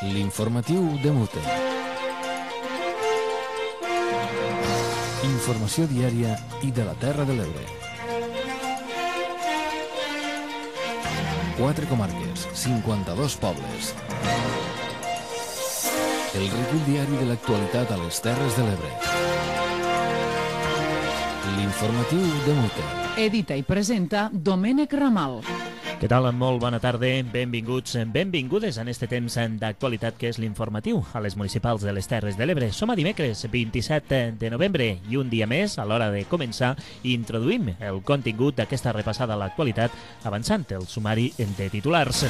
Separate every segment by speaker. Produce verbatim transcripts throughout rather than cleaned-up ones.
Speaker 1: L'informatiu de Mute. Informació diària i de la Terra de l'Ebre. Quatre comarques, cinquanta-dos pobles. El recull diari de l'actualitat a les Terres de l'Ebre. L'informatiu de Mute.
Speaker 2: Edita i presenta Domènec Ramal.
Speaker 3: Què tal? Molt bona tarda, benvinguts, benvingudes en este temps d'actualitat que és l'informatiu a les municipals de les Terres de l'Ebre. Som a dimecres vint-i-set de novembre i un dia més, a l'hora de començar, introduïm el contingut d'aquesta repassada a l'actualitat avançant el sumari de titulars.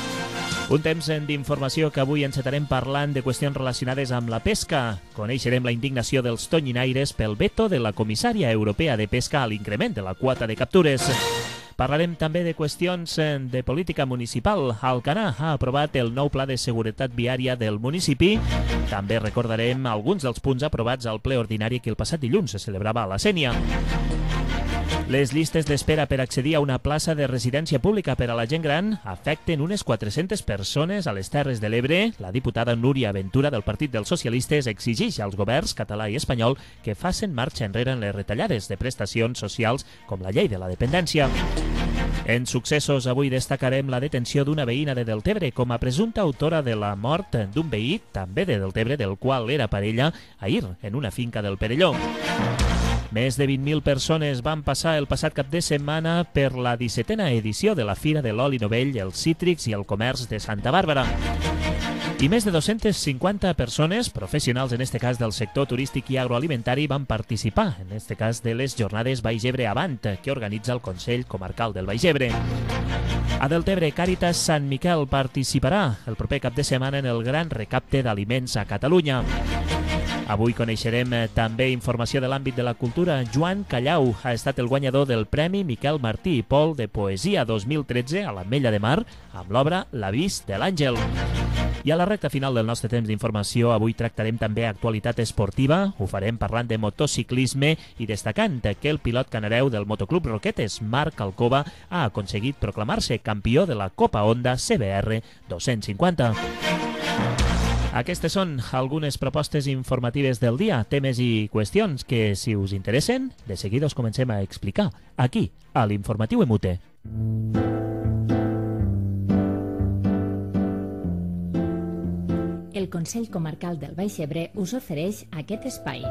Speaker 3: Un temps d'informació que avui encetarem parlant de qüestions relacionades amb la pesca. Coneixerem la indignació dels tonyinaires pel veto de la comissària europea de pesca a l'increment de la quota de captures. Parlarem també de qüestions de política municipal. Alcanar ha aprovat el nou pla de seguretat viària del municipi. També recordarem alguns dels punts aprovats al ple ordinari que el passat dilluns se celebrava a la Sénia. Les llistes d'espera per accedir a una plaça de residència pública per a la gent gran afecten unes quatre-centes persones a les Terres de l'Ebre. La diputada Núria Ventura del Partit dels Socialistes exigeix als governs català i espanyol que facin marxa enrere en les retallades de prestacions socials com la llei de la dependència. En successos, avui destacarem la detenció d'una veïna de Deltebre com a presumpta autora de la mort d'un veí, també de Deltebre, del qual era parella, ahir en una finca del Perelló. Més de vint mil persones van passar el passat cap de setmana per la dissetena edició de la Fira de l'Oli Novell, els Cítrics i el Comerç de Santa Bàrbara. I més de dos-centes cinquanta persones, professionals en este cas del sector turístic i agroalimentari, van participar, en este cas de les jornades Baix Ebre Avant, que organitza el Consell Comarcal del Baix Ebre. A Deltebre, Càritas Sant Miquel participarà el proper cap de setmana en el gran recapte d'aliments a Catalunya. Avui coneixerem també informació de l'àmbit de la cultura. Joan Callau ha estat el guanyador del Premi Miquel Martí i Pol de Poesia dos mil tretze a l'Ametlla de Mar amb l'obra L'Avís de l'Àngel. I a la recta final del nostre temps d'informació, avui tractarem també actualitat esportiva. Ho farem parlant de motociclisme i destacant que el pilot canareu del Motoclub Roquetes, Marc Alcoba, ha aconseguit proclamar-se campió de la Copa Honda C B R dos-cents cinquanta. Aquestes són algunes propostes informatives del dia, temes i qüestions que, si us interessen, de seguida us comencem a explicar, aquí, a l'Informatiu Emute.
Speaker 4: El Consell Comarcal del Baix Ebre us ofereix aquest espai.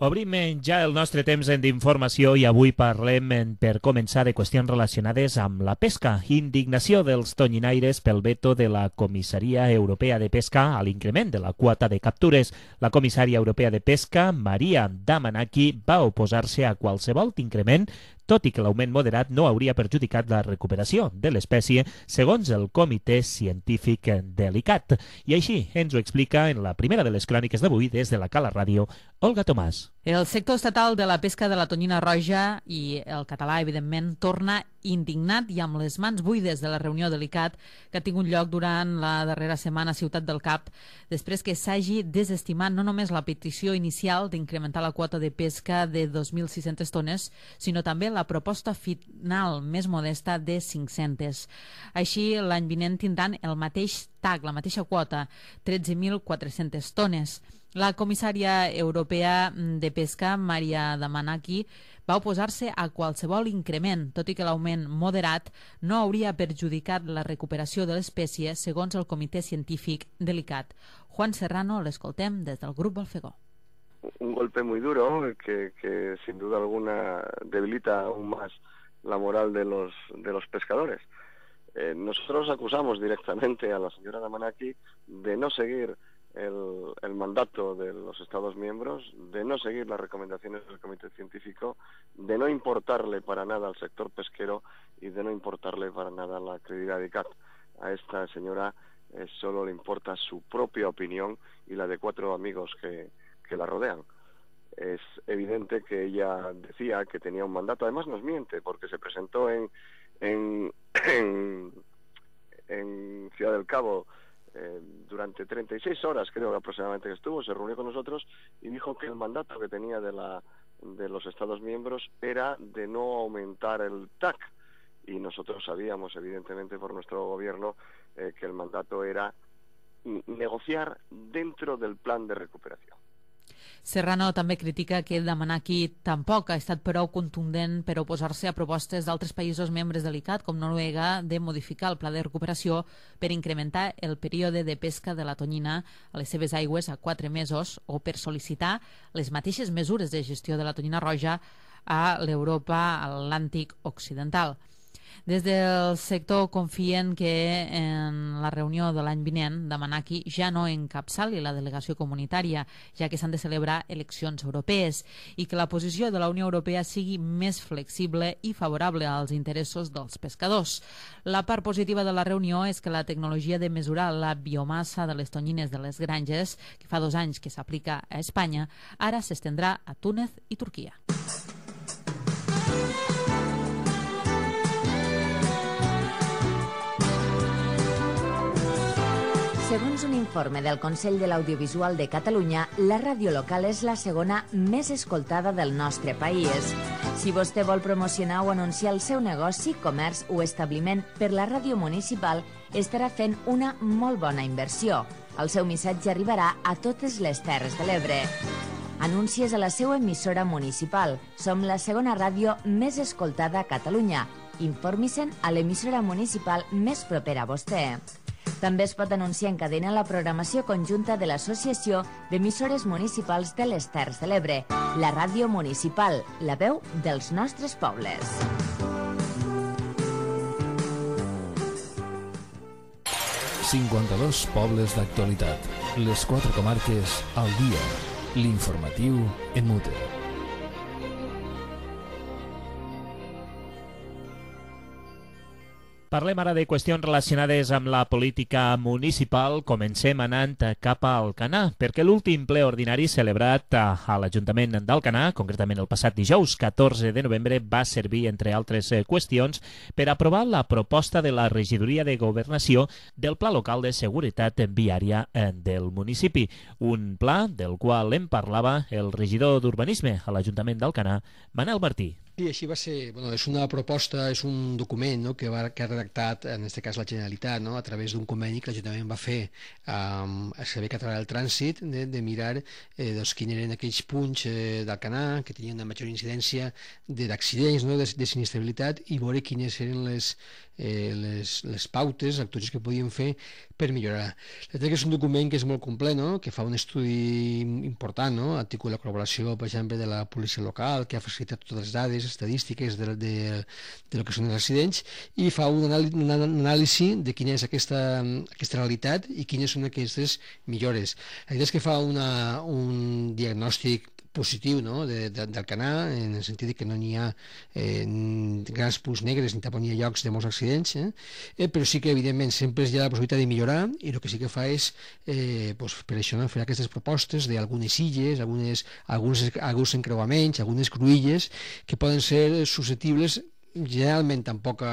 Speaker 3: Obrim ja el nostre temps d'informació i avui parlem, per començar, de qüestions relacionades amb la pesca. Indignació dels tonyinaires pel veto de la Comissaria Europea de Pesca a l'increment de la quota de captures. La comissària europea de pesca, Maria Damanaki, va oposar-se a qualsevol increment, tot i que l'augment moderat no hauria perjudicat la recuperació de l'espècie, segons el Comitè Científic de l'ICAT. I així ens ho explica en la primera de les cròniques d'avui des de la Cala Ràdio, Olga Tomàs.
Speaker 2: El sector estatal de la pesca de la tonyina roja i el català, evidentment, torna indignat i amb les mans buides de la reunió de l'ICAT que ha tingut lloc durant la darrera setmana a Ciutat del Cap, després que s'hagi desestimat no només la petició inicial d'incrementar la quota de pesca de dos mil sis-centes tones, sinó també la proposta final més modesta de cinc-centes. Així, l'any vinent tindran el mateix tag, la mateixa quota, tretze mil quatre-centes tones. La comissària europea de pesca, Maria Damanaki, va oposar-se a qualsevol increment, tot i que l'augment moderat no hauria perjudicat la recuperació de l'espècie, segons el Comitè Científic de l'ICAT. Juan Serrano, l'escoltem des del grup Balfegó.
Speaker 5: Un golpe muy duro que, que sin duda alguna debilita aún más la moral de los, de los pescadores. Eh, nosotros acusamos directamente a la señora Damanaki de no seguir El, el mandato de los Estados miembros, de no seguir las recomendaciones del Comité Científico, de no importarle para nada al sector pesquero y de no importarle para nada la credibilidad de ICAT. A esta señora eh, solo le importa su propia opinión y la de cuatro amigos que, que la rodean. Es evidente que ella decía que tenía un mandato, además nos miente, porque se presentó en, en, en, en Ciudad del Cabo Eh, durante treinta y seis horas, creo que aproximadamente que estuvo, se reunió con nosotros y dijo que el mandato que tenía de la de los Estados miembros era de no aumentar el T A C. Y nosotros sabíamos, evidentemente, por nuestro gobierno, eh, que el mandato era negociar dentro del plan de recuperació.
Speaker 2: Serrano també critica que demanar aquí tampoc ha estat prou contundent per oposar-se a propostes d'altres països membres de l'ICAT, com Noruega, de modificar el pla de recuperació per incrementar el període de pesca de la tonyina a les seves aigües a quatre mesos o per sol·licitar les mateixes mesures de gestió de la tonyina roja a l'Europa Atlàntic Occidental. Des del sector confien que en la reunió de l'any vinent Damanaki ja no encapçali la delegació comunitària, ja que s'han de celebrar eleccions europees, i que la posició de la Unió Europea sigui més flexible i favorable als interessos dels pescadors. La part positiva de la reunió és que la tecnologia de mesurar la biomassa de les tonyines de les granges, que fa dos anys que s'aplica a Espanya, ara s'estendrà a Túnez i Turquia.
Speaker 6: Segons un informe del Consell de l'Audiovisual de Catalunya, la ràdio local és la segona més escoltada del nostre país. Si vostè vol promocionar o anunciar el seu negoci, comerç o establiment per la ràdio municipal, estarà fent una molt bona inversió. El seu missatge arribarà a totes les Terres de l'Ebre. Anuncies a la seva emissora municipal. Som la segona ràdio més escoltada a Catalunya. Informi-se'n a l'emissora municipal més propera a vostè. També es pot anunciar en cadena la programació conjunta de l'Associació d'Emissores Municipals de les Terres de l'Ebre, la ràdio municipal, la veu dels nostres pobles.
Speaker 1: cinquanta-dos pobles d'actualitat. Les quatre comarques al dia. L'informatiu en mute.
Speaker 3: Parlem ara de qüestions relacionades amb la política municipal. Comencem anant cap a Alcanar, perquè l'últim ple ordinari celebrat a l'Ajuntament d'Alcanar, concretament el passat dijous catorze de novembre, va servir, entre altres qüestions, per aprovar la proposta de la Regidoria de Governació del Pla Local de Seguretat Viària del municipi. Un pla del qual en parlava el regidor d'Urbanisme a l'Ajuntament d'Alcanar, Manel Martí.
Speaker 7: Sí, així va ser. Bueno, és una proposta, és un document, no?, que, va, que ha redactat, en aquest cas la Generalitat, no?, a través d'un conveni que l'Ajuntament va fer amb el Servei Català del Trànsit, de, de mirar eh, doncs, quins eren aquells punts eh, d'Alcanar que tenien una major incidència d'accidents, no?, de, de sinistrabilitat, i veure quines eren les, eh, les, les pautes, actuacions que podien fer per millorar. La veritat que és un document que és molt complet, no?, que fa un estudi important, no?, articula la col·laboració, per exemple, de la policia local, que ha facilitat totes les dades estadístiques de, de, de lo que són els accidents, i fa un anàlisi, un anàlisi de quina és aquesta, aquesta realitat i quines són aquestes millores. La veritat és que fa una, un diagnòstic positiu, no?, de, de, d'Alcanar, en el sentit que no n'hi ha eh, grans punts negres ni tampoc n'hi ha llocs de molts accidents, eh? Eh, però sí que evidentment sempre hi ha la possibilitat de millorar, i el que sí que fa és eh, pues, per això, no?, fer aquestes propostes d'algunes illes, algunes, alguns, alguns encreuaments, algunes cruïlles que poden ser susceptibles generalment amb poca,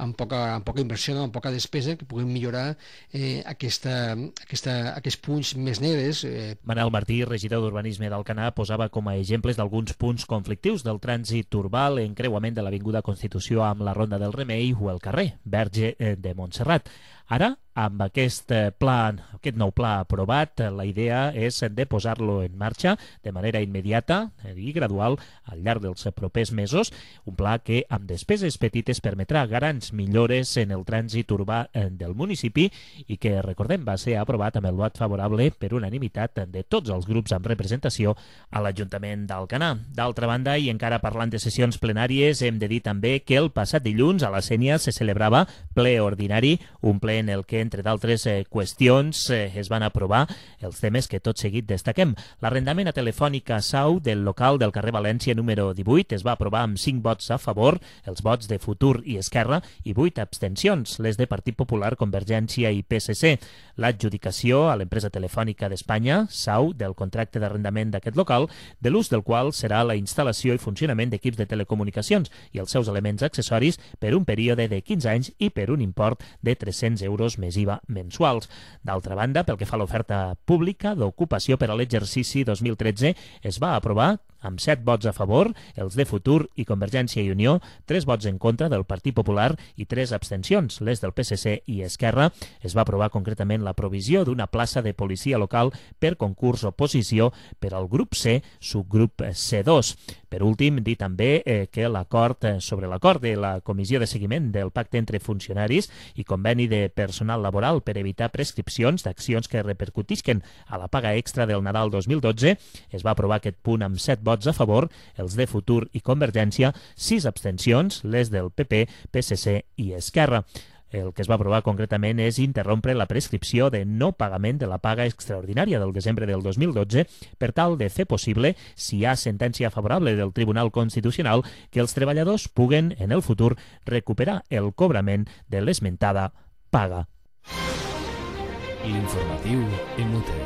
Speaker 7: amb poca, amb poca inversió, no?, amb poca despesa, que puguem millorar eh, aquesta, aquesta, aquests punts més negres. Eh.
Speaker 3: Manel Martí, regidor d'Urbanisme d'Alcanar, posava com a exemples d'alguns punts conflictius del trànsit urbà, l'encreuament de l'Avinguda Constitució amb la Ronda del Remei o el carrer Verge de Montserrat. Ara, amb aquest pla, aquest nou pla aprovat, la idea és de posar-lo en marxa de manera immediata i gradual al llarg dels propers mesos, un pla que amb despeses petites permetrà grans millores en el trànsit urbà del municipi i que, recordem, va ser aprovat amb el vot favorable per unanimitat de tots els grups amb representació a l'Ajuntament d'Alcanar. D'altra banda, i encara parlant de sessions plenàries, hem de dir també que el passat dilluns a la Sénia se celebrava ple ordinari, un ple en el que, entre d'altres eh, qüestions, eh, es van aprovar els temes que tot seguit destaquem. L'arrendament a Telefònica Sau del local del carrer València número divuit es va aprovar amb cinc vots a favor, els vots de Futur i Esquerra, i vuit abstencions, les de Partit Popular, Convergència i P S C. L'adjudicació a l'empresa telefònica d'Espanya, Sau, del contracte d'arrendament d'aquest local, de l'ús del qual serà la instal·lació i funcionament d'equips de telecomunicacions i els seus elements accessoris per un període de quinze anys i per un import de tres-cents quatre-cents euros més I V A mensuals. D'altra banda, pel que fa a l'oferta pública d'ocupació per a l'exercici dos mil tretze, es va aprovar amb set vots a favor, els de Futur i Convergència i Unió, tres vots en contra del Partit Popular i tres abstencions, les del P S C i Esquerra. Es va aprovar concretament la provisió d'una plaça de policia local per concurs oposició per al grup C, subgrup C dos. Per últim, dir també eh, que l'acord eh, sobre l'acord de la Comissió de Seguiment del Pacte entre Funcionaris i Conveni de Personal Laboral per evitar prescripcions d'accions que repercutisquen a la paga extra del Nadal dos mil dotze, es va aprovar aquest punt amb set vots a favor, els de Futur i Convergència, sis abstencions, les del P P, P S C i Esquerra. El que es va aprovar concretament és interrompre la prescripció de no pagament de la paga extraordinària del desembre del dos mil dotze per tal de fer possible, si hi ha sentència favorable del Tribunal Constitucional, que els treballadors puguen, en el futur, recuperar el cobrament de l'esmentada paga.
Speaker 1: L'informatiu M T.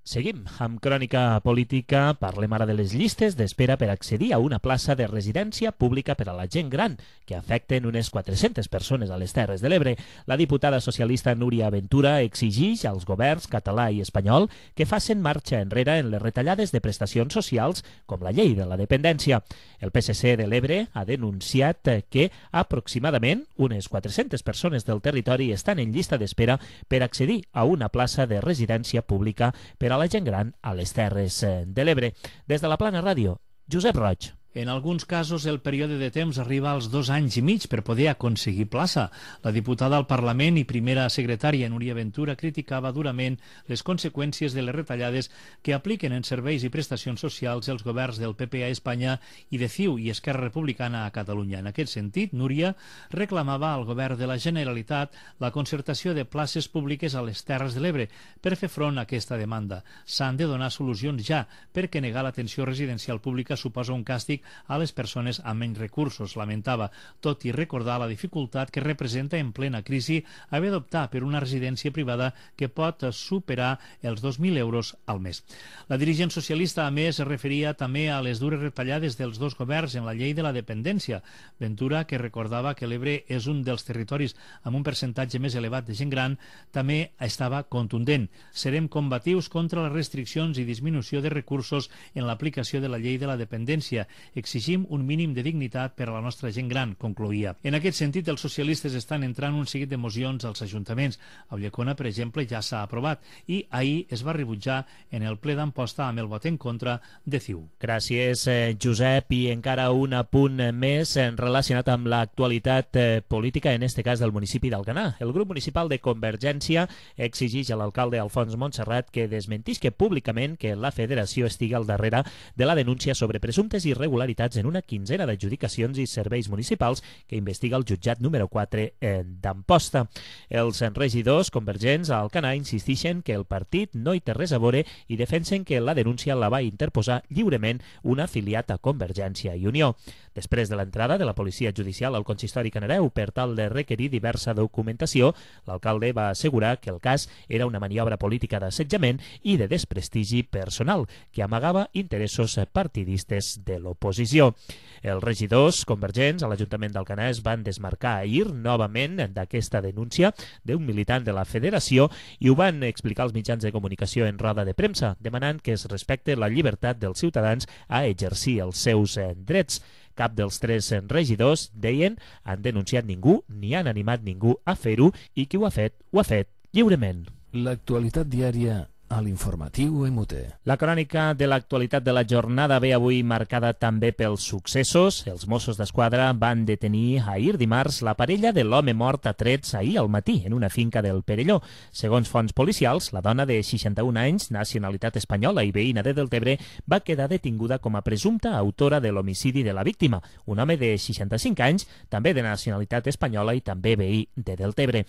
Speaker 3: Seguim amb crònica política. Parlem ara de les llistes d'espera per accedir a una plaça de residència pública per a la gent gran, que afecten unes quatre-centes persones a les Terres de l'Ebre. La diputada socialista Núria Ventura exigeix als governs català i espanyol que facin marxa enrere en les retallades de prestacions socials, com la llei de la dependència. El P S C de l'Ebre ha denunciat que aproximadament unes quatre-centes persones del territori estan en llista d'espera per accedir a una plaça de residència pública per a la gent gran a les Terres de l'Ebre. Des de la Plana Ràdio, Josep Roig.
Speaker 8: En alguns casos, el període de temps arriba als dos anys i mig per poder aconseguir plaça. La diputada al Parlament i primera secretària Núria Ventura criticava durament les conseqüències de les retallades que apliquen en serveis i prestacions socials els governs del P P a Espanya i de C I U i Esquerra Republicana a Catalunya. En aquest sentit, Núria reclamava al govern de la Generalitat la concertació de places públiques a les Terres de l'Ebre per fer front a aquesta demanda. S'han de donar solucions ja, perquè negar l'atenció residencial pública suposa un càstig a les persones amb menys recursos, lamentava, tot i recordar la dificultat que representa en plena crisi haver d'optar per una residència privada que pot superar els dos mil euros al mes. La dirigent socialista, a més, es referia també a les dures retallades dels dos governs en la llei de la dependència. Ventura, que recordava que l'Ebre és un dels territoris amb un percentatge més elevat de gent gran, també estava contundent. Serem combatius contra les restriccions i disminució de recursos en l'aplicació de la llei de la dependència. Exigim un mínim de dignitat per a la nostra gent gran, concloïa. En aquest sentit, els socialistes estan entrant un seguit de mocions als ajuntaments. A Ulldecona, per exemple, ja s'ha aprovat i ahir es va rebutjar en el ple d'Amposta amb el vot en contra de C I U.
Speaker 3: Gràcies, eh, Josep. I encara un apunt més eh, relacionat amb l'actualitat eh, política, en este cas del municipi d'Alcanar. El grup municipal de Convergència exigeix a l'alcalde Alfons Montserrat que desmentisca públicament que la federació estigui al darrere de la denúncia sobre presumptes irregularitats en una quinzena d'adjudicacions i serveis municipals que investiga el jutjat número quatre eh, d'Amposta. Els regidors convergents a Alcanar insisteixen que el partit no hi té res a veure i defensen que la denúncia la va interposar lliurement un afiliat a Convergència i Unió. Després de l'entrada de la policia judicial al consistori canareu per tal de requerir diversa documentació, l'alcalde va assegurar que el cas era una maniobra política d'assetjament i de desprestigi personal que amagava interessos partidistes de l'oposició. Els regidors convergents a l'Ajuntament d'Alcanar es van desmarcar ahir novament d'aquesta denúncia d'un militant de la federació i ho van explicar als mitjans de comunicació en roda de premsa, demanant que es respecte la llibertat dels ciutadans a exercir els seus drets. Cap dels tres regidors, deien, han denunciat ningú ni han animat ningú a fer-ho i qui ho ha fet, ho ha fet lliurement.
Speaker 1: L'actualitat diària a l'informatiu M T.
Speaker 3: La crònica de l'actualitat de la jornada ve avui marcada també pels successos. Els Mossos d'Esquadra van detenir ahir dimarts la parella de l'home mort a trets ahir al matí en una finca del Perelló. Segons fonts policials, la dona de seixanta-un anys, nacionalitat espanyola i veïna de Deltebre, va quedar detinguda com a presumpta autora de l'homicidi de la víctima, un home de seixanta-cinc anys, també de nacionalitat espanyola i també veí de Deltebre.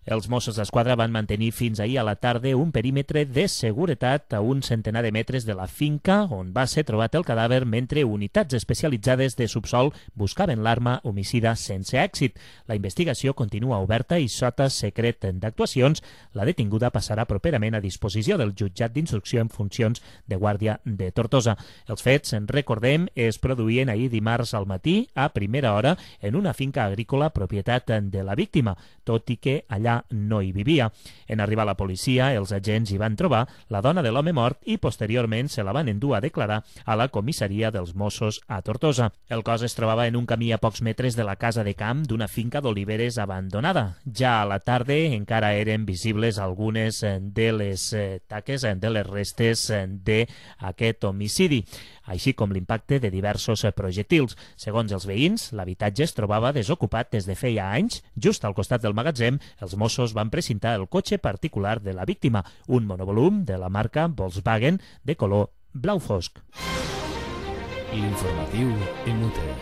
Speaker 3: Els Mossos d'Esquadra van mantenir fins ahir a la tarda un perímetre de seguretat a un centenar de metres de la finca on va ser trobat el cadàver mentre unitats especialitzades de subsol buscaven l'arma homicida sense èxit. La investigació continua oberta i sota secret d'actuacions. La detinguda passarà properament a disposició del jutjat d'instrucció en funcions de Guàrdia de Tortosa. Els fets, en recordem, es produïen ahir dimarts al matí a primera hora en una finca agrícola propietat de la víctima, tot i que allà no hi vivia. En arribar la policia, els agents hi van trobar la dona de l'home mort i posteriorment se la van endur a declarar a la comissaria dels Mossos a Tortosa. El cos es trobava en un camí a pocs metres de la casa de camp d'una finca d'oliveres abandonada. Ja a la tarda encara eren visibles algunes de les taques, de les restes d'aquest homicidi, així com l'impacte de diversos projectils. Segons els veïns, l'habitatge es trobava desocupat des de feia anys. Just al costat del magatzem, els Mossos van precintar el cotxe particular de la víctima, un monovolum de la marca Volkswagen de color blau fosc.
Speaker 1: L'informatiu en Mute.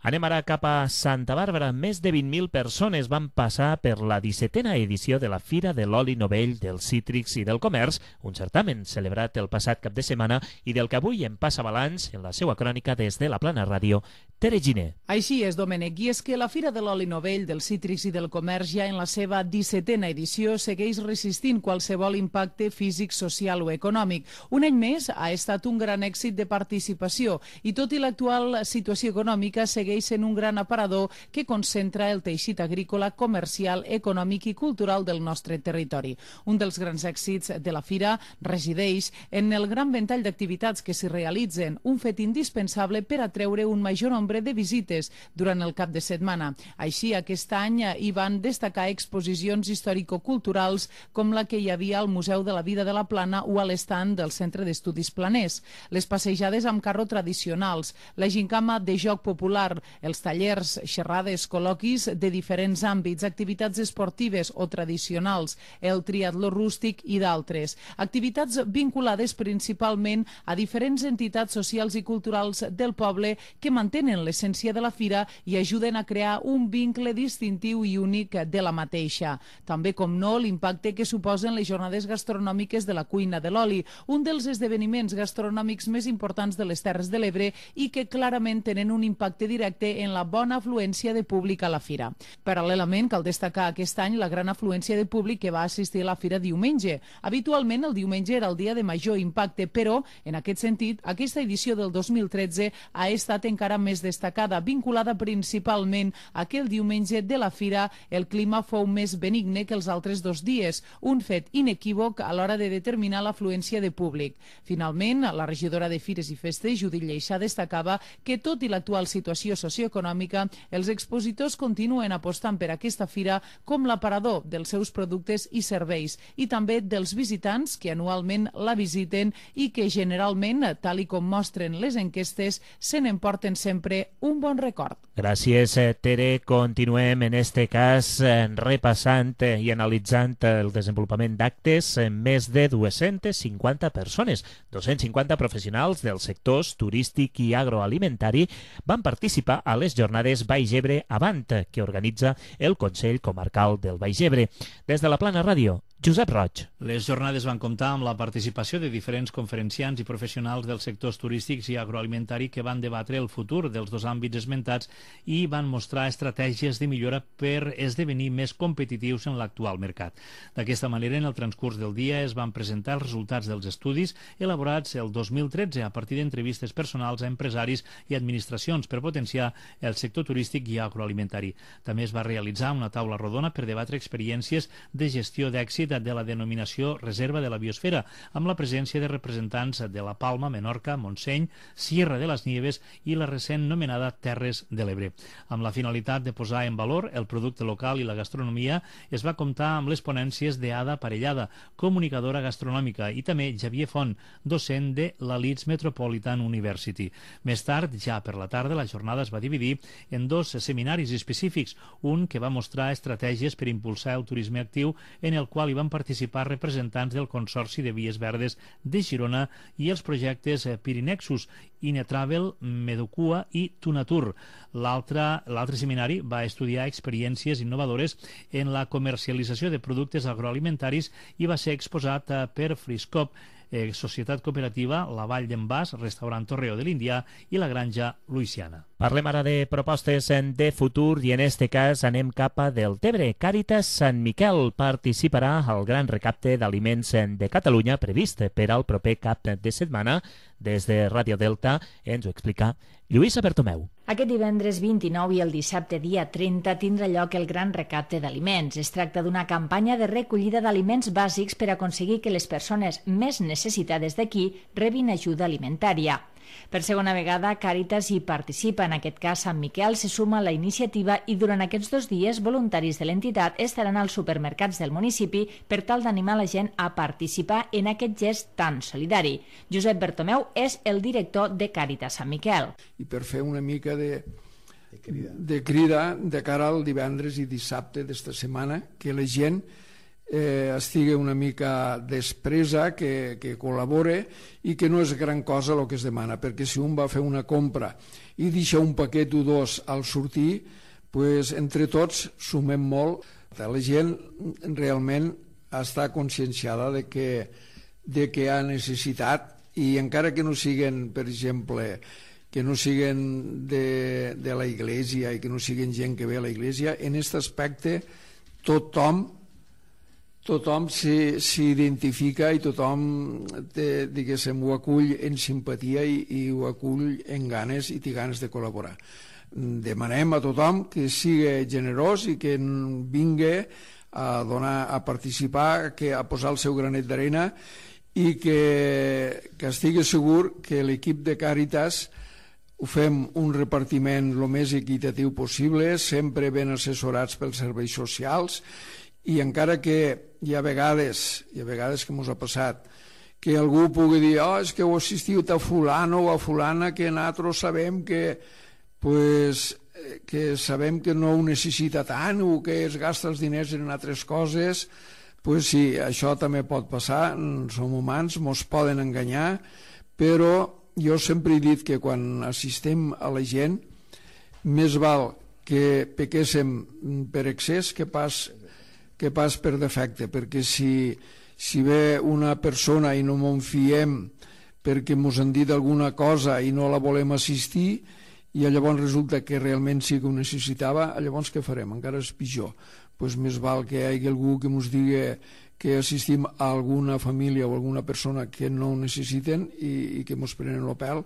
Speaker 3: Anem ara cap a Santa Bàrbara. Més de vint mil persones van passar per la dissetena edició de la Fira de l'Oli Novell, dels Cítrics i del Comerç, un certamen celebrat el passat cap de setmana i del que avui en passa balanç en la seva crònica des de la Plana Ràdio, Tere Giner.
Speaker 9: Així és, Domènec, i és que la Fira de l'Oli Novell, dels Cítrics i del Comerç ja en la seva dissetena edició segueix resistint qualsevol impacte físic, social o econòmic. Un any més ha estat un gran èxit de participació i tot i l'actual situació econòmica segueix sent un gran aparador que concentra el teixit agrícola, comercial, econòmic i cultural del nostre territori. Un dels grans èxits de la Fira resideix en el gran ventall d'activitats que s'hi realitzen, un fet indispensable per atreure un major nombre de visites durant el cap de setmana. Així, aquest any hi van destacar exposicions històrico-culturals com la que hi havia al Museu de la Vida de la Plana o a l'estand del Centre d'Estudis Planers, les passejades amb carro tradicionals, la gincama de joc popular, els tallers, xerrades, col·loquis de diferents àmbits, activitats esportives o tradicionals, el triatló rústic i d'altres. Activitats vinculades principalment a diferents entitats socials i culturals del poble que mantenen l'essència de la fira i ajuden a crear un vincle distintiu i únic de la mateixa. També, com no, l'impacte que suposen les jornades gastronòmiques de la cuina de l'oli, un dels esdeveniments gastronòmics més importants de les Terres de l'Ebre i que clarament tenen un impacte directe en la bona afluència de públic a la fira. Paral·lelament, cal destacar aquest any la gran afluència de públic que va assistir a la fira diumenge. Habitualment el diumenge era el dia de major impacte, però, en aquest sentit, aquesta edició del dos mil tretze ha estat encara més destacada, vinculada principalment a que el diumenge de la fira el clima fou més benigne que els altres dos dies, un fet inequívoc a l'hora de determinar l'afluència de públic. Finalment, la regidora de Fires i Festes, Judit Lleixà, destacava que tot i l'actual situació socioeconòmica, els expositors continuen apostant per aquesta fira com l'aparador dels seus productes i serveis i també dels visitants que anualment la visiten i que generalment, tal i com mostren les enquestes, se n'emporten sempre un bon record.
Speaker 3: Gràcies, Tere. Continuem en este cas repassant i analitzant el desenvolupament d'actes. Més de dues-centes cinquanta persones, dos-cents cinquanta professionals dels sectors turístic i agroalimentari van participar a les jornades Baix Ebre Avant, que organitza el Consell Comarcal del Baix Ebre. Des de la Plana Ràdio, Josep Roig.
Speaker 8: Les jornades van comptar amb la participació de diferents conferenciants i professionals dels sectors turístics i agroalimentari que van debatre el futur dels dos àmbits esmentats i van mostrar estratègies de millora per esdevenir més competitius en l'actual mercat. D'aquesta manera, en el transcurs del dia es van presentar els resultats dels estudis elaborats el dos mil tretze a partir d'entrevistes personals a empresaris i administracions per potenciar el sector turístic i agroalimentari. També es va realitzar una taula rodona per debatre experiències de gestió d'èxit de la denominació Reserva de la Biosfera, amb la presència de representants de la Palma, Menorca, Montseny, Sierra de les Nieves i la recent nomenada Terres de l'Ebre. Amb la finalitat de posar en valor el producte local i la gastronomia, es va comptar amb les ponències d'Ada Parellada, comunicadora gastronòmica, i també Xavier Font, docent de la Leeds Metropolitan University. Més tard, ja per la tarda, la jornada es va dividir en dos seminaris específics, un que va mostrar estratègies per impulsar el turisme actiu, en el qual hi van participar representants del Consorci de Vies Verdes de Girona i els projectes Pirinexus, Inetravel, Medocua i Tunatur. L'altre seminari va estudiar experiències innovadores en la comercialització de productes agroalimentaris i va ser exposat per Friscop, eh, Societat Cooperativa, la Vall d'en Bas, Restaurant Torreo de l'Índia i la Granja Luisiana.
Speaker 3: Parlem ara de propostes de futur i en este cas anem cap a Deltebre. Càritas Sant Miquel participarà al gran recapte d'aliments de Catalunya previst per al proper cap de setmana. Des de Ràdio Delta ens ho explica Lluïsa Bertomeu.
Speaker 6: Aquest divendres vint-i-nou i el dissabte dia trenta tindrà lloc el gran recapte d'aliments. Es tracta d'una campanya de recollida d'aliments bàsics per aconseguir que les persones més necessitades d'aquí rebin ajuda alimentària. Per segona vegada, Càritas hi participa. En aquest cas, Sant Miquel se suma a la iniciativa i durant aquests dos dies, voluntaris de l'entitat estaran als supermercats del municipi per tal d'animar la gent a participar en aquest gest tan solidari. Josep Bertomeu és el director de Càritas Sant Miquel.
Speaker 10: I per fer una mica de, de, crida. de crida de cara al divendres i dissabte d'esta setmana, que la gent eh, estigui una mica despresa, que, que col·labore i que no és gran cosa el que es demana, perquè si un va fer una compra i deixa un paquet o dos al sortir, pues, entre tots sumem molt. La gent realment està conscienciada de que, de que hi ha necessitat i encara que no siguin, per exemple, que no siguin de, de la Iglesia i que no siguin gent que ve a la Iglesia, en aquest aspecte tothom tothom s'identifica i tothom té, diguéssim, ho acull en simpatia i, i ho acull en ganes i té ganes de col·laborar. Demanem a tothom que sigui generós i que vingui a donar, a participar, que a posar el seu granet d'arena i que, que estigui segur que l'equip de Càritas ho fem un repartiment el més equitatiu possible, sempre ben assessorats pels serveis socials, i encara que hi ha vegades, hi ha vegades que ens ha passat, que algú pugui dir, oh, és que heu assistit a fulano o a fulana que nosaltres sabem que, pues, que sabem que no ho necessita tant o que es gasta els diners en altres coses, pues sí, això també pot passar, som humans, ens poden enganyar, però jo sempre he dit que quan assistim a la gent, més val que pequéssim per excés que pas que pas per defecte, perquè si, si ve una persona i no m'en fiem perquè ens han dit alguna cosa i no la volem assistir i llavors resulta que realment sí que ho necessitava, llavors què farem? Encara és pitjor. Pues més val que hi hagi algú que ens digui que assistim a alguna família o alguna persona que no ho necessiten i, i que ens prenen el pèl,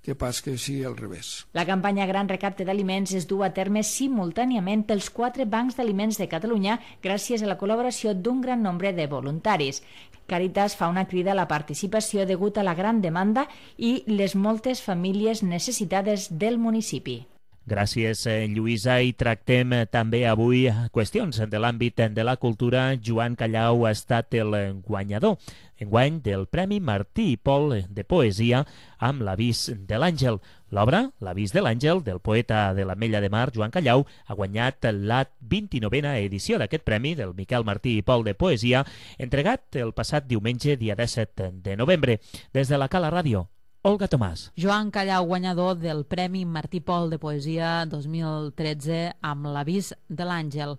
Speaker 10: que pas que sigui al revés.
Speaker 6: La campanya Gran Recapte d'Aliments es du a terme simultàniament pels quatre bancs d'aliments de Catalunya gràcies a la col·laboració d'un gran nombre de voluntaris. Càritas fa una crida a la participació degut a la gran demanda i les moltes famílies necessitades del municipi.
Speaker 3: Gràcies, Lluïsa, i tractem també avui qüestions de l'àmbit de la cultura. Joan Callau ha estat el guanyador enguany del Premi Martí i Pol de Poesia amb l'Avís de l'Àngel. L'obra, l'Avís de l'Àngel, del poeta de l'Ametlla de Mar, Joan Callau, ha guanyat la vint-i-novena edició d'aquest premi del Miquel Martí i Pol de Poesia, entregat el passat diumenge, dia disset de novembre. Des de la Cala Ràdio, Olga Tomàs.
Speaker 2: Joan Callau, guanyador del Premi Martí Pol de Poesia dos mil tretze amb l'Avís de l'Àngel.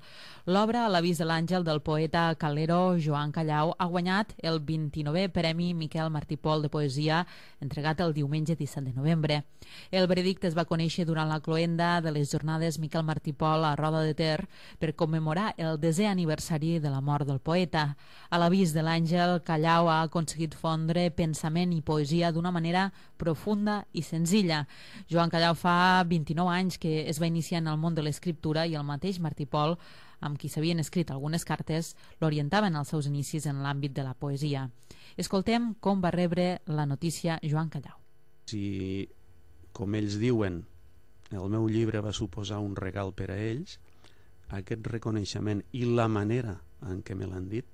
Speaker 2: L'obra L'Avís de l'Àngel del poeta calero Joan Callau ha guanyat el vint-i-novè Premi Miquel Martí Pol de Poesia, entregat el diumenge disset de novembre. El veredicte es va conèixer durant la cloenda de les jornades Miquel Martí Pol a Roda de Ter per commemorar el desè aniversari de la mort del poeta. A l'Avís de l'Àngel, Callau ha aconseguit fondre pensament i poesia d'una manera profunda i senzilla. Joan Callau fa vint-i-nou anys que es va iniciar en el món de l'escriptura i el mateix Martí Pol, amb qui s'havien escrit algunes cartes, l'orientaven als seus inicis en l'àmbit de la poesia. Escoltem com va rebre la notícia Joan Callau.
Speaker 11: Si, com ells diuen, el meu llibre va suposar un regal per a ells, aquest reconeixement i la manera en què me l'han dit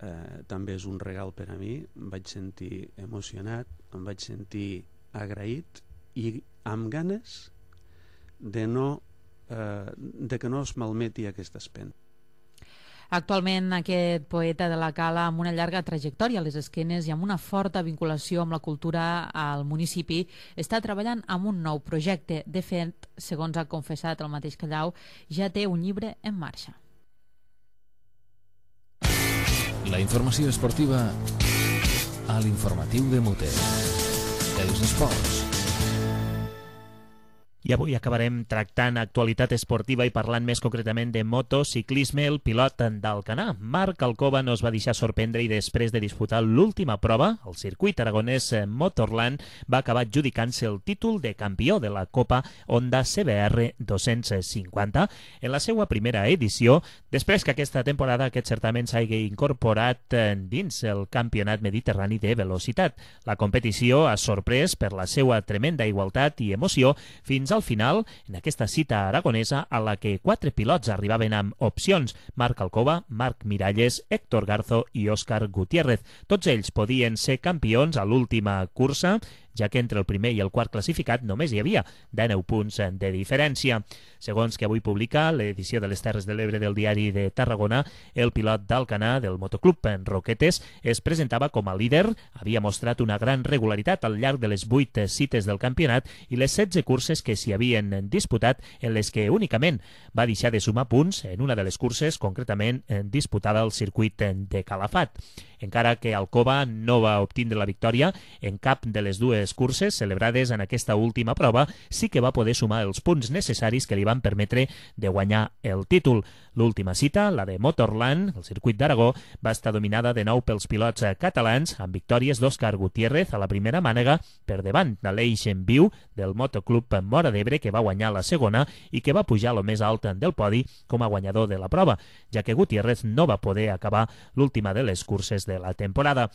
Speaker 11: eh, també és un regal per a mi. Em vaig sentir emocionat, em vaig sentir agraït i amb ganes de, no, eh, de que no es malmeti aquesta espenta.
Speaker 2: Actualment aquest poeta de la Cala, amb una llarga trajectòria a les esquenes i amb una forta vinculació amb la cultura al municipi, està treballant amb un nou projecte. De fet, segons ha confessat el mateix Callau, ja té un llibre en marxa.
Speaker 1: La informació esportiva a l'informatiu de Mute. Els esports.
Speaker 3: I avui acabarem tractant actualitat esportiva i parlant més concretament de motociclisme. El pilot d'Alcanar, Marc Alcoba, no es va deixar sorprendre i després de disputar l'última prova, el circuit aragonès Motorland, va acabar adjudicant-se el títol de campió de la Copa Honda C B R dos-cents cinquanta en la seva primera edició, després que aquesta temporada aquest certament s'hagi incorporat dins el Campionat Mediterrani de Velocitat. La competició ha sorprès per la seva tremenda igualtat i emoció fins al final, en aquesta cita aragonesa a la que quatre pilots arribaven amb opcions: Marc Alcoba, Marc Miralles, Héctor Garzo i Òscar Gutiérrez. Tots ells podien ser campions a l'última cursa, ja que entre el primer i el quart classificat només hi havia dinou punts de diferència. Segons que avui publica l'edició de les Terres de l'Ebre del Diari de Tarragona, el pilot d'Alcanar del motoclub Roquetes es presentava com a líder, havia mostrat una gran regularitat al llarg de les vuit cites del campionat i les setze curses que s'hi havien disputat, en les que únicament va deixar de sumar punts en una de les curses, concretament disputada al circuit de Calafat. Encara que Alcoba no va obtindre la victòria en cap de les dues curses celebrades en aquesta última prova, sí que va poder sumar els punts necessaris que li van permetre de guanyar el títol. L'última cita, la de Motorland, el circuit d'Aragó, va estar dominada de nou pels pilots catalans, amb victòries d'Òscar Gutiérrez a la primera mànega per davant de l'Eix en Viu del motoclub Móra d'Ebre, que va guanyar la segona i que va pujar a lo més alt del podi com a guanyador de la prova, ja que Gutiérrez no va poder acabar l'última de les curses de la temporada.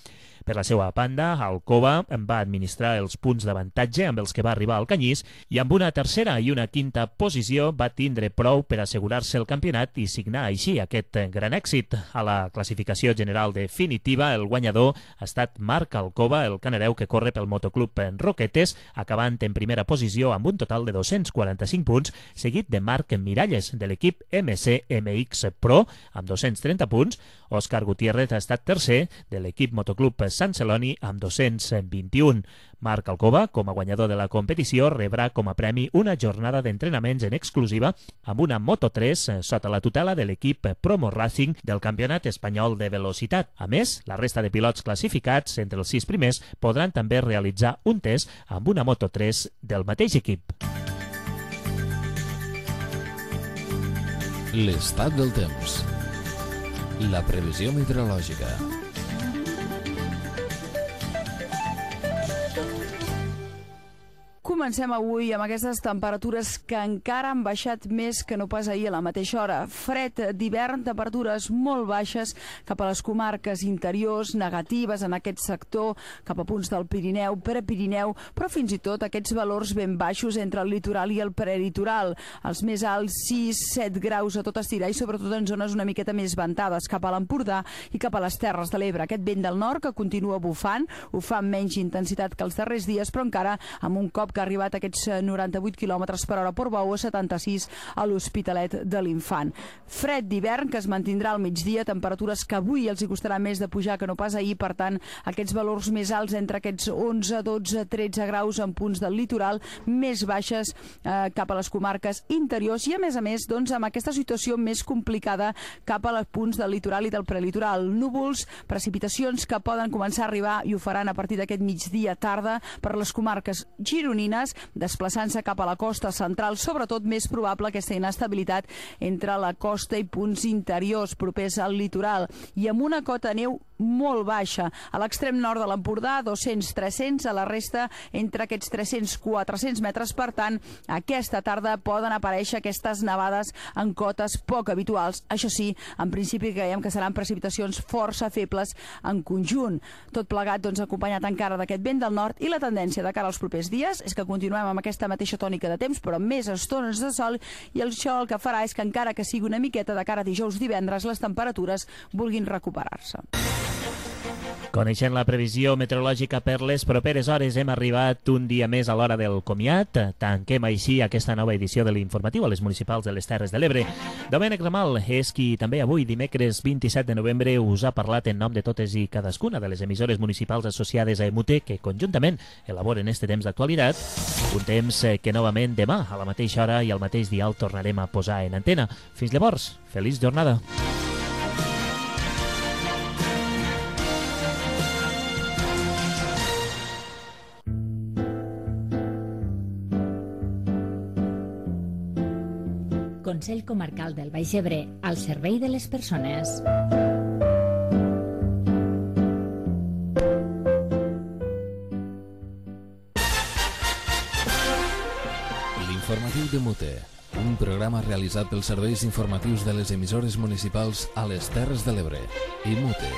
Speaker 3: Per la seva banda, Alcoba va administrar els punts d'avantatge amb els que va arribar al Canyís i amb una tercera i una quinta posició va tindre prou per assegurar-se el campionat i signar així aquest gran èxit. A la classificació general definitiva, el guanyador ha estat Marc Alcoba, el canareu que corre pel motoclub Roquetes, acabant en primera posició amb un total de dos-cents quaranta-cinc punts, seguit de Marc Miralles, de l'equip M C M X Pro, amb dos-cents trenta punts. Òscar Gutiérrez ha estat tercer, de l'equip motoclub Sant Celoni, amb dos-cents vint-i-un. Marc Alcoba, com a guanyador de la competició, rebrà com a premi una jornada d'entrenaments en exclusiva amb una Moto tres sota la tutela de l'equip Promo Racing del Campionat Espanyol de Velocitat. A més, la resta de pilots classificats entre els sis primers podran també realitzar un test amb una Moto tres del mateix equip.
Speaker 1: L'estat del temps. La previsió meteorològica.
Speaker 9: Comencem avui amb aquestes temperatures que encara han baixat més que no pas ahir a la mateixa hora. Fred d'hivern, temperatures molt baixes cap a les comarques interiors, negatives en aquest sector, cap a punts del Pirineu, Prepirineu, però fins i tot aquests valors ben baixos entre el litoral i el prelitoral. Els més alts, sis set graus a tot estirar i sobretot en zones una miqueta més ventades, cap a l'Empordà i cap a les Terres de l'Ebre. Aquest vent del nord que continua bufant, ho fa amb menys intensitat que els darrers dies, però encara amb un cop que ha arribat a aquests noranta-vuit quilòmetres per hora a Portbou, a setanta-sis a l'Hospitalet de l'Infant. Fred d'hivern que es mantindrà al migdia, temperatures que avui els hi costarà més de pujar que no pas ahir, per tant, aquests valors més alts entre aquests onze, dotze, tretze graus en punts del litoral, més baixes eh, cap a les comarques interiors i, a més a més, doncs, amb aquesta situació més complicada cap a els punts del litoral i del prelitoral. Núvols, precipitacions que poden començar a arribar i ho faran a partir d'aquest migdia tarda per les comarques gironines, desplaçant-se cap a la costa central, sobretot més probable aquesta inestabilitat entre la costa i punts interiors propers al litoral i amb una cota de neu molt baixa. A l'extrem nord de l'Empordà, dos-cents a tres-cents, a la resta entre aquests tres-cents a quatre-cents metres. Per tant, aquesta tarda poden aparèixer aquestes nevades en cotes poc habituals. Això sí, en principi creiem que seran precipitacions força febles en conjunt. Tot plegat, doncs, acompanyat encara d'aquest vent del nord, i la tendència de cara als propers dies és que continuem amb aquesta mateixa tònica de temps, però amb més estones de sol, i això el que farà és que, encara que sigui una miqueta de cara a dijous, divendres, les temperatures vulguin recuperar-se.
Speaker 3: Coneixent la previsió meteorològica per les properes hores, hem arribat un dia més a l'hora del comiat. Tanquem així aquesta nova edició de l'informatiu a les municipals de les Terres de l'Ebre. Domènec Ramal és qui també avui, dimecres vint-i-set de novembre, us ha parlat en nom de totes i cadascuna de les emissores municipals associades a Emute, que conjuntament elaboren este temps d'actualitat. Un temps que novament demà, a la mateixa hora i al mateix dial, tornarem a posar en antena. Fins llavors, feliç jornada.
Speaker 4: Consell Comarcal del Baix Ebre, al servei de les persones.
Speaker 1: L'informatiu de Mute, un programa realitzat pels serveis informatius de les emissores municipals a les Terres de l'Ebre. I Mute.